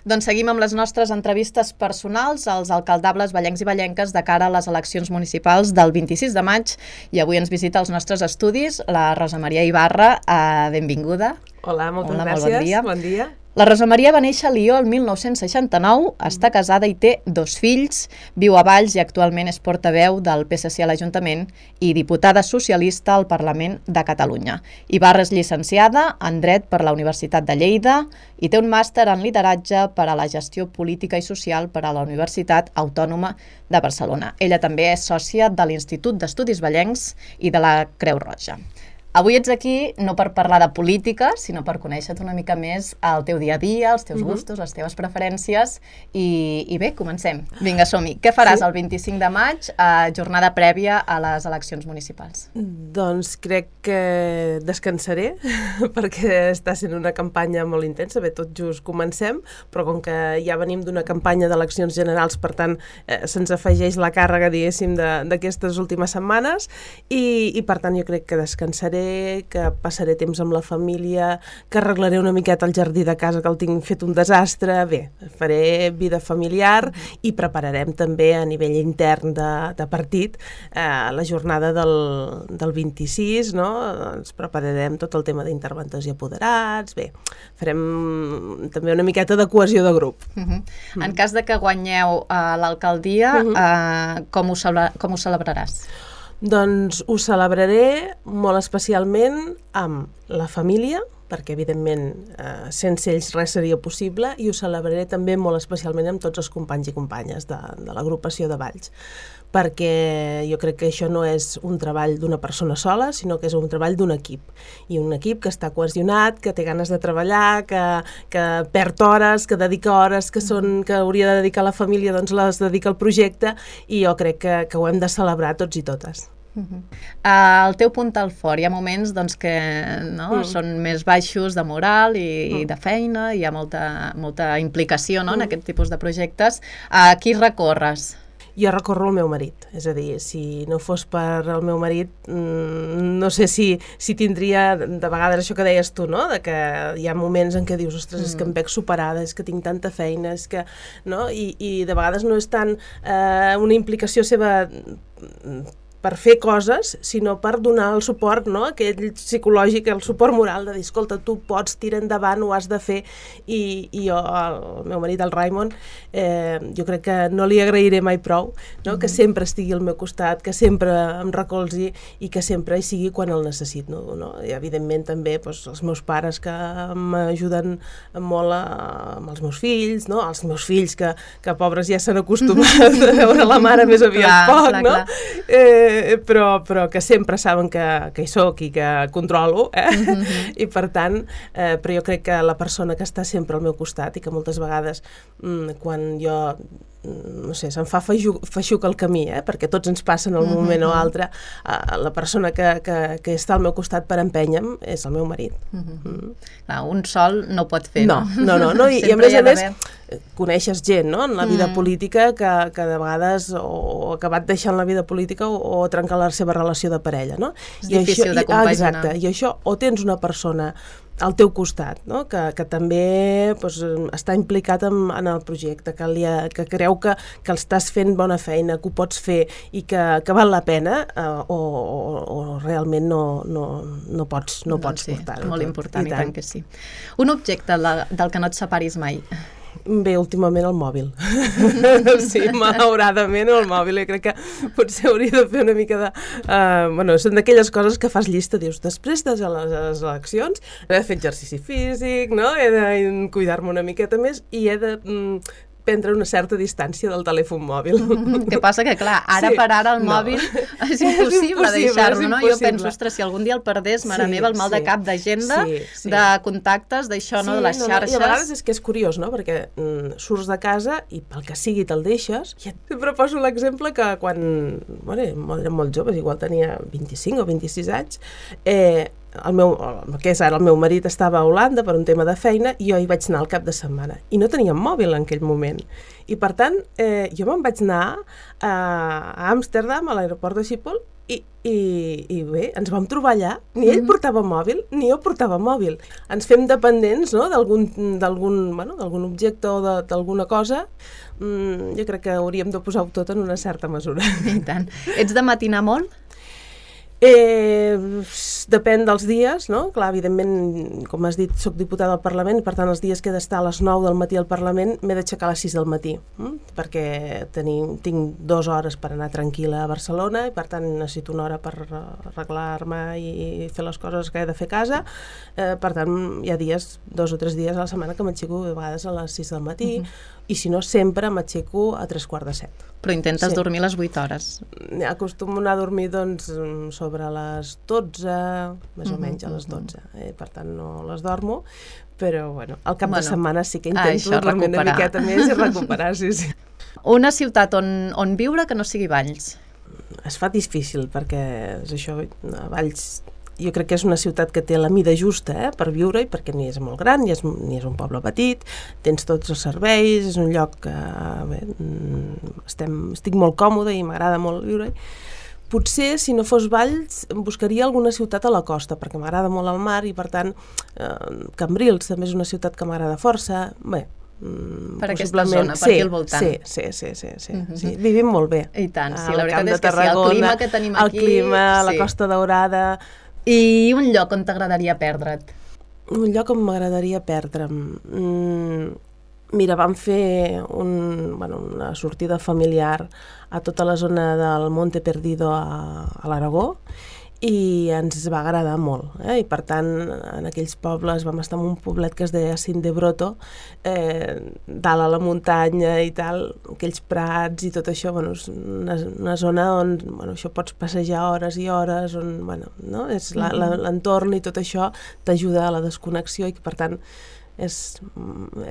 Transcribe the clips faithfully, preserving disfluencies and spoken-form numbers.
Doncs seguim amb les nostres entrevistes personals als alcaldables vallencs i vallenques de cara a les eleccions municipals del vint-i-sis de maig i avui ens visita als nostres estudis la Rosa Maria Ibarra. Uh, benvinguda. Hola, moltes Hola, gràcies. Molt bon dia. Bon dia. La Rosa Maria va néixer a Lió el mil nou-cents seixanta-nou, està casada i té dos fills, viu a Valls i actualment és portaveu del P S C a l'Ajuntament i diputada socialista al Parlament de Catalunya. Ibarra és llicenciada en Dret per la Universitat de Lleida i té un màster en lideratge per a la gestió política i social per a la Universitat Autònoma de Barcelona. Ella també és sòcia de l'Institut d'Estudis Vallencs i de la Creu Roja. Avui ets aquí no per parlar de política, sinó per conèixer-te una mica més el teu dia a dia, els teus gustos, les teves preferències i, i bé, comencem. Vinga, som-hi. Què faràs sí? el vint-i-cinc de maig, a jornada prèvia a les eleccions municipals? Doncs crec que descansaré, perquè està sent una campanya molt intensa. Bé, tot just comencem, però com que ja venim d'una campanya d'eleccions generals, per tant, eh, se'ns afegeix la càrrega, diguéssim, d'aquestes últimes setmanes i, i per tant jo crec que descansaré, que passaré temps amb la família, que arreglaré una miqueta el jardí de casa, que el tinc fet un desastre. Bé, faré vida familiar i prepararem també a nivell intern de, de partit eh, la jornada del, del vint-i-sis, no? Ens prepararem tot el tema d'interventors i apoderats. Bé, farem també una miqueta de cohesió de grup. Uh-huh. Mm. En cas de que guanyeu uh, l'alcaldia, uh-huh. uh, com, ho celebra- com ho celebraràs? Doncs ho celebraré molt especialment amb la família, perquè evidentment eh, sense ells res seria possible, i ho celebraré també molt especialment amb tots els companys i companyes de, de l'agrupació de Valls, perquè jo crec que això no és un treball d'una persona sola, sinó que és un treball d'un equip, i un equip que està cohesionat, que té ganes de treballar, que, que perd hores, que dedica hores que, són, que hauria de dedicar a la família, doncs les dedica al projecte, i jo crec que, que ho hem de celebrar tots i totes. Uh-huh. Uh, el teu punt al fort, hi ha moments doncs, que no, mm. són més baixos de moral i, mm. i de feina, hi ha molta, molta implicació no, mm. en aquest tipus de projectes. A qui recorres? Jo recorro al meu marit, és a dir, si no fos per el meu marit, no sé si, si tindria, de vegades això que deies tu, no? De que hi ha moments en què dius, ostres, mm. és que em veig superada, és que tinc tanta feina, és que, no? I, i de vegades no és tant eh, una implicació seva per fer coses, sinó per donar el suport, no? Aquell psicològic, el suport moral de dir, escolta, tu pots, tira endavant, ho has de fer, i, i jo, el meu marit, el Raimon, eh, jo crec que no li agrairé mai prou, no? Mm-hmm. Que sempre estigui al meu costat, que sempre em recolzi i que sempre hi sigui quan el necessito, no? I evidentment també doncs, els meus pares que m'ajuden molt a, amb els meus fills, no? Els meus fills que, que pobres ja s'han acostumat a veure la mare més aviat clar, poc, clar, no? Clar. Eh, Però, però que sempre saben que, que hi soc i que controlo, eh? Mm-hmm. I per tant, eh, però jo crec que la persona que està sempre al meu costat i que moltes vegades mm, quan jo no sé, se'm fa feixuc el camí, eh? Perquè tots ens passen en un moment mm-hmm. o altre, eh, la persona que, que, que està al meu costat per empènyer-me és el meu marit. Mm-hmm. Mm. Clar, un sol no pot fer, no? No, no, no, i, i a més a més coneixes gent, no?, en la vida mm. política que, que de vegades o ha acabat deixant la vida política o, o trencar la seva relació de parella, no? És I difícil això, de compaginar. Exacte, i això o tens una persona al teu costat, no? que, que també pues, està implicat en, en el projecte, que, li ha, que creu que, que estàs fent bona feina, que ho pots fer i que, que val la pena, eh, o, o, o realment no, no, no pots, no doncs pots sí, portar-ho. Molt important, i tant. i tant que sí. Un objecte la, del que no et separis mai? Bé, últimament el mòbil. Sí, malauradament el mòbil. Jo crec que potser hauria de fer una mica de... Uh, bueno, són d'aquelles coses que fas llista, dius, després de les, les eleccions he de fer exercici físic, no? He de cuidar-me una miqueta més i he de... Mm, prendre una certa distància del telèfon mòbil. Mm-hmm. Que passa que, clar, ara sí, per ara el no. mòbil és impossible, és deixar-lo, no? Jo penso, ostres, si algun dia el perdés, mare sí, meva, el mal sí. de cap d'agenda, sí, sí. de contactes, d'això, sí, no? De les no, xarxes. No, I a vegades és que és curiós, no? Perquè mm, surts de casa i pel que sigui te'l deixes. I sempre poso l'exemple que quan, bueno, érem molt joves, igual tenia vint-i-cinc o vint-i-sis anys, eh, el meu, el que és ara el meu marit estava a Holanda per un tema de feina i jo hi vaig anar al cap de setmana i no tenia mòbil en aquell moment i per tant eh, jo me'n vaig anar a, a Amsterdam, a l'aeroport de Schiphol, I, i, i bé, ens vam trobar allà, ni ell portava mòbil, ni jo portava mòbil. Ens fem dependents, no?, d'algun, d'algun, bueno, d'algun objecte o de, d'alguna cosa. Mm, jo crec que hauríem de posar-ho tot en una certa mesura. I tant. Ets de matinar molt? Eh, depèn dels dies, no? Clar, evidentment, com has dit, soc diputada al Parlament i per tant els dies que he d'estar a les nou del matí al Parlament m'he d'aixecar a les sis del matí, hm? perquè tenim, tinc dues hores per anar tranquil·la a Barcelona i per tant necessito una hora per arreglar-me i fer les coses que he de fer a casa. Eh, per tant, hi ha dies, dos o tres dies a la setmana que m'aixeco a vegades a les sis del matí uh-huh. i si no sempre m'aixeco a tres quarts de set. Però intentes sí. dormir les vuit hores. Acostumo a anar a dormir doncs, sobre les dotze, més o menys a les dotze. Eh? Per tant, no les dormo, però bueno, al cap bueno, de setmana sí que intento ah, dormir recuperar. Una miqueta més i recuperar, sí, sí. Una ciutat on, on viure que no sigui Valls? Es fa difícil, perquè és això, Valls... Jo crec que és una ciutat que té la mida justa eh, per viure-hi, perquè ni és molt gran, ni és, ni és un poble petit, tens tots els serveis, és un lloc que bé, estem, estic molt còmode i m'agrada molt viure-hi. Potser, si no fos Valls, buscaria alguna ciutat a la costa, perquè m'agrada molt el mar i, per tant, eh, Cambrils també és una ciutat que m'agrada força. Bé, per aquesta zona, per sí, aquí al voltant. Sí, sí, sí, sí, sí, uh-huh. sí. Vivim molt bé. I tant, sí, la veritat és que sí, el clima que tenim aquí... El clima, sí. la Costa Daurada... I un lloc on t'agradaria perdre't? Un lloc on m'agradaria perdre'm... Mm, mira, vam fer un, bueno, una sortida familiar a tota la zona del Monte Perdido a, a l'Aragó i ens va agradar molt. Eh? I per tant, en aquells pobles vam estar en un poblet que es deia Cindebroto, eh, dalt a la muntanya i tal, aquells prats i tot això, bueno, és una, una zona on bueno, això pots passejar hores i hores, on bueno, no? és la, la, l'entorn i tot això t'ajuda a la desconnexió i que per tant és,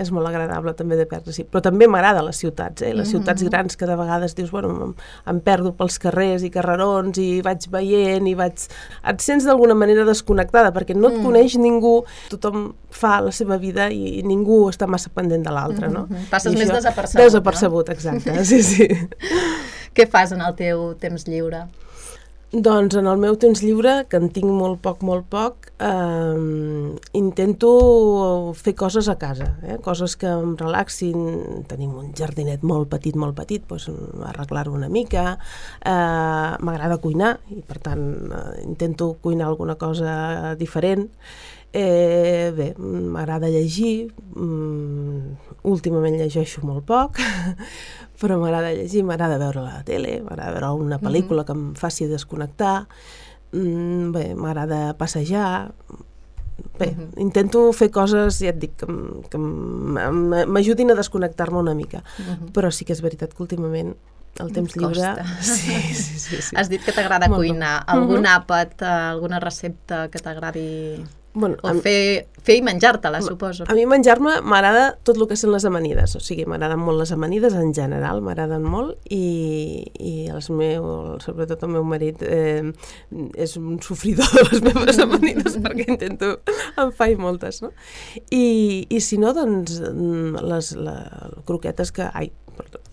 és molt agradable també de perdre-s'hi. Però també m'agrada les ciutats, eh? les mm-hmm. ciutats grans que de vegades dius, bueno, em, em perdo pels carrers i carrerons i vaig veient i vaig... Et sents d'alguna manera desconnectada perquè no et mm. coneix ningú, tothom fa la seva vida i, i ningú està massa pendent de l'altre, no? Mm-hmm. Passes més desapercebut, Desapercebut, no? Exacte, sí, sí. Què fas en el teu temps lliure? Doncs en el meu temps lliure, que en tinc molt poc, molt poc, eh, intento fer coses a casa, eh? Coses que em relaxin. Tenim un jardinet molt petit, molt petit, doncs arreglar-ho una mica. Eh, m'agrada cuinar i per tant eh, intento cuinar alguna cosa diferent. Eh, bé, m'agrada llegir, mm, últimament llegeixo molt poc, però m'agrada llegir, m'agrada veure la tele, m'agrada veure una pel·lícula que em faci desconnectar, mm, bé, m'agrada passejar, bé, uh-huh. intento fer coses, ja et dic, que, que m'ajudin a desconnectar-me una mica, uh-huh. però sí que és veritat que últimament el temps lliure... Sí, sí, sí, sí. Has dit que t'agrada molt cuinar. Algun uh-huh. àpat, alguna recepta que t'agradi... Bueno, o fer, fer i menjar-te-la, suposo. A mi menjar-me m'agrada tot el que són les amanides, o sigui, m'agraden molt les amanides en general, m'agraden molt, i, i els meus, sobretot el meu marit, eh, és un sofridor de les meves amanides, perquè intento, en faig moltes, no? I, i si no, doncs, les, les croquetes que... Ai,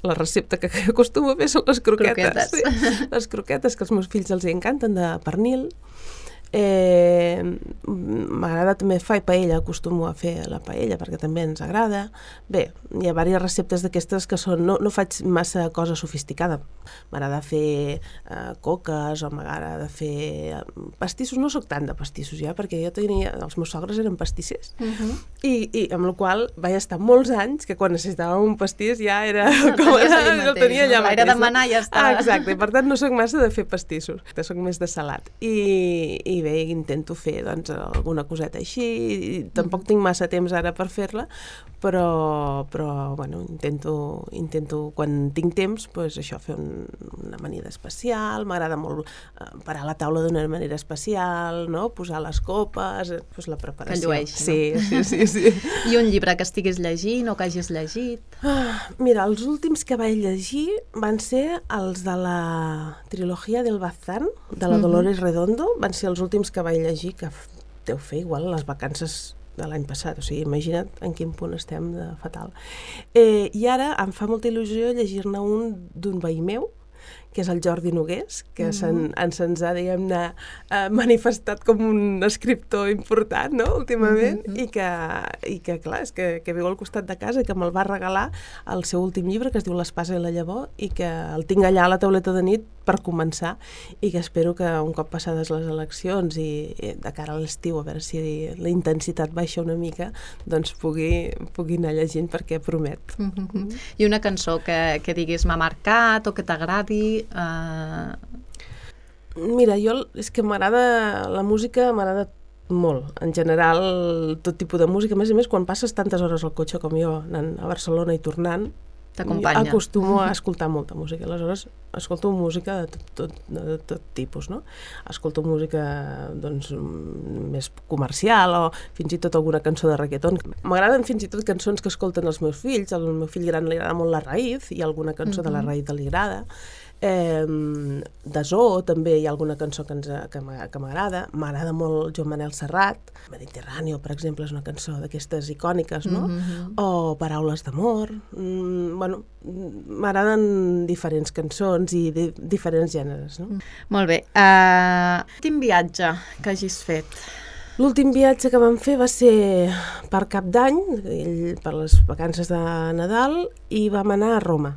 la recepta que acostumo a fer són les croquetes. croquetes. Sí. Les croquetes, que als meus fills els encanten, de pernil. Eh, m'agrada també fer paella, acostumo a fer la paella perquè també ens agrada. Bé, hi ha diverses receptes d'aquestes que són, no, no faig massa cosa sofisticada, m'agrada fer eh, coques o m'agrada fer pastissos, no sóc tant de pastissos ja, perquè jo tenia, els meus sogres eren pastissers, uh-huh. i, i amb la qual vaig estar molts anys que quan necessitava un pastís ja era com era, el tenia allà mateix. Era demanar i ja està. Ah, exacte, i per tant no sóc massa de fer pastissos, sóc més de salat. I, i bé, intento fer doncs, alguna coseta així, i tampoc tinc massa temps ara per fer-la, però, però bueno, intento, intento quan tinc temps, doncs això, fer un, una amanida especial, m'agrada molt eh, parar la taula d'una manera especial, no? Posar les copes, doncs la preparació. Que llueix, sí, no? Sí, sí, sí. I un llibre que estiguis llegint o que hagis llegit? Ah, mira, els últims que vaig llegir van ser els de la trilogia del Bazán, de la Dolores Redondo, van ser els últims que vaig llegir, que deu fer igual a les vacances de l'any passat, o sigui, imagina't en quin punt estem de fatal. Eh, I ara em fa molta il·lusió llegir-ne un d'un veí meu, que és el Jordi Nogués, que mm-hmm. se'n, se'ns ha, diguem-ne, manifestat com un escriptor important, no?, últimament, mm-hmm. i, que, i que, clar, és que, que viu al costat de casa i que me'l va regalar el seu últim llibre, que es diu L'espasa i la llavor, i que el tinc allà a la tauleta de nit per començar, i que espero que un cop passades les eleccions i, i de cara a l'estiu, a veure si la intensitat baixa una mica, doncs pugui, pugui anar llegint, perquè promet. Mm-hmm. I una cançó que, que diguis m'ha marcat o que t'agradi? Uh... Mira, jo és que m'agrada la música, m'agrada molt, en general tot tipus de música, a més a més quan passes tantes hores al cotxe com jo anant a Barcelona i tornant, acostumo a escoltar molta música, aleshores escolto música de tot, tot, de tot tipus, no? Escolto música doncs, més comercial o fins i tot alguna cançó de reggaeton. M'agraden fins i tot cançons que escolten els meus fills, al meu fill gran li agrada molt La Raïz i alguna cançó mm-hmm. de La Raïz li agrada. Eh, de Zoo també hi ha alguna cançó que, ens, que m'agrada. M'agrada molt Joan Manel Serrat, Mediterráneo, per exemple, és una cançó d'aquestes icòniques, no? Mm-hmm. O Paraules d'amor. Mm, bueno, m'agraden diferents cançons i de, diferents gèneres, no? Molt bé. Uh, quin viatge que hagis fet? L'últim viatge que vam fer va ser per Cap d'Any, per les vacances de Nadal, i vam anar a Roma,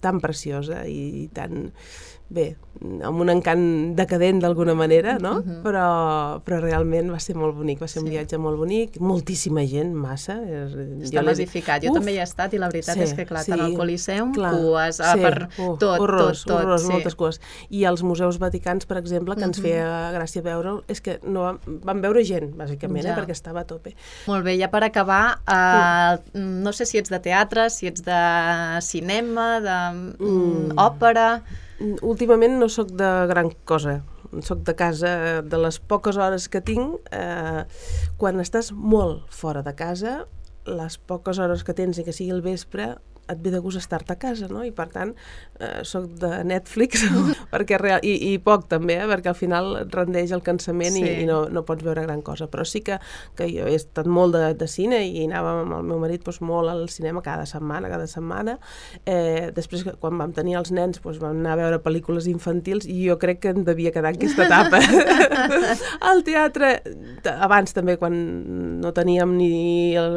tan preciosa i tan, bé, amb un encant decadent d'alguna manera, no? Uh-huh. Però, però realment va ser molt bonic, va ser sí. un viatge molt bonic, moltíssima gent, massa. Està massificat, jo Uf. també hi he estat i la veritat sí, és que, clar, sí, tant al Coliseum, clar, cues, sí, per uh, tot, horrors, tot, tot. Horrors, sí. moltes cues. I els museus vaticans, per exemple, que ens uh-huh. feia gràcia veure, és que no vam, vam veure gent, bàsicament, ja. eh, perquè estava a tope. Molt bé, ja per acabar, uh, uh. no sé si ets de teatre, si ets de cinema, d'òpera... Mm. Últimament no sóc de gran cosa, sóc de casa, de les poques hores que tinc, eh, quan estàs molt fora de casa, les poques hores que tens i que sigui el vespre, et ve de gust estar-te a casa, no? I per tant, eh, soc de Netflix, perquè real, i, i poc també, eh? Perquè al final et rendeix el cansament sí. i, i no, no pots veure gran cosa. Però sí que, que jo he estat molt de, de cine i anàvem amb el meu marit doncs, molt al cinema cada setmana, cada setmana. Eh, després, quan vam tenir els nens, doncs, vam anar a veure pel·lícules infantils i jo crec que em devia quedar en aquesta etapa. Al teatre, abans també, quan no teníem ni...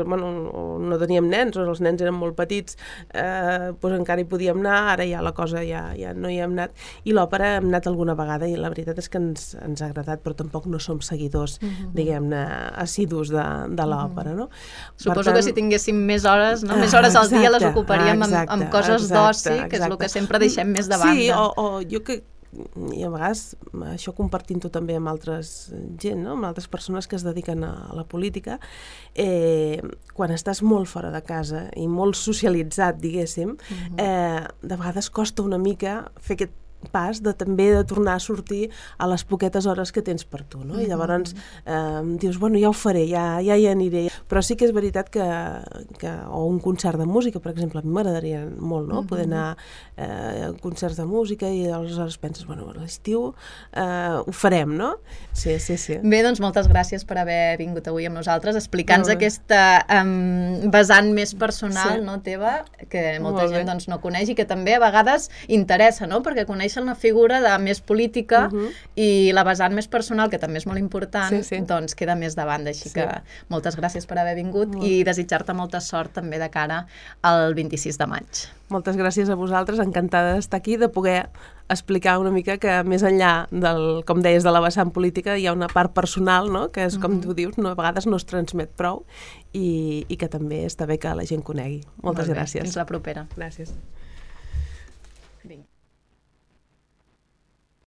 Bueno, no teníem nens, o els nens eren molt petits, Eh, doncs encara hi podíem anar, ara ja la cosa ja, ja no hi hem anat, i l'òpera hem anat alguna vegada i la veritat és que ens, ens ha agradat, però tampoc no som seguidors, uh-huh. diguem-ne, assidus de, de l'òpera, no? Suposo tant... que si tinguéssim més hores, no? més hores al dia les ocuparíem exacte, amb, amb coses d'oci, que és el que sempre deixem més de banda. Sí, o, o jo que i a vegades això compartint-ho també amb altres gent, no? Amb altres persones que es dediquen a la política, eh, quan estàs molt fora de casa i molt socialitzat, diguéssim, uh-huh. eh, de vegades costa una mica fer aquest pas de també de tornar a sortir a les poquetes hores que tens per tu, no? I llavors eh, dius, bueno, ja ho faré, ja, ja hi aniré. Però sí que és veritat que, que o un concert de música, per exemple, a mi m'agradaria molt, no? Poder anar eh, a concerts de música i aleshores penses, bueno, a l'estiu eh, ho farem, no? Sí, sí, sí. Bé, doncs moltes gràcies per haver vingut avui amb nosaltres, explicant-nos aquesta um, vessant més personal, sí. no, teva, que molta gent doncs, no coneix i que també a vegades interessa, no? Perquè coneix una figura de més política uh-huh. i la vessant més personal, que també és molt important, sí, sí. doncs queda més de banda. Així sí. que moltes gràcies per haver vingut uh-huh. i desitjar-te molta sort també de cara al vint-i-sis de maig. Moltes gràcies a vosaltres, encantada d'estar aquí, de poder explicar una mica que més enllà del, com deies, de la vessant política hi ha una part personal, no? Que és, com uh-huh. tu dius, no, a vegades no es transmet prou i, i que també està bé que la gent conegui. Moltes Molt gràcies. Fins la propera. Gràcies. Vinga.